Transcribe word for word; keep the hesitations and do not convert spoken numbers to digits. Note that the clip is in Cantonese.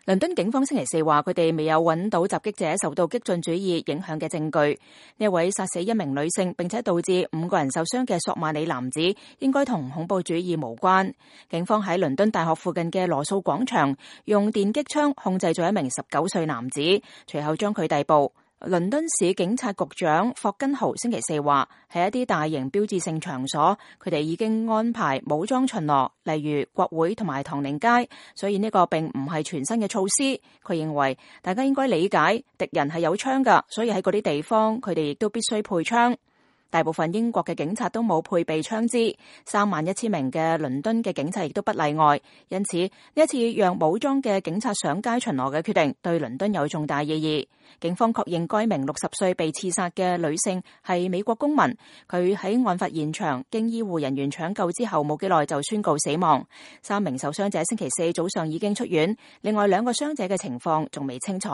倫敦警方星期四話，佢哋未有揾到襲擊者受到激進主義影響嘅證據。呢位殺死一名女性並且導致五個人受傷嘅索馬里男子，應該同恐怖主義無關。警方喺倫敦大學附近嘅羅素廣場用電擊槍控制咗一名十九歲男子，隨後將佢逮捕。倫敦市警察局長霍根豪星期四話，喺一啲大型標誌性場所，佢哋已經安排武裝巡邏，例如國會同埋唐寧街，所以呢個並唔係全新嘅措施。佢認為大家應該理解敵人係有槍㗎，所以喺嗰啲地方佢哋亦都必須配槍。大部分英國嘅警察都冇配備槍支，三萬一千名嘅倫敦嘅警察亦都不例外。因此呢一次讓武裝嘅警察上街巡邏嘅決定，對倫敦有重大意義。警方確認該名六十歲被刺殺嘅女性係美國公民，佢喺案發現場經醫護人員搶救之後冇幾耐就宣告死亡。三名受傷者星期四早上已經出院，另外兩個傷者嘅情況仲未清楚。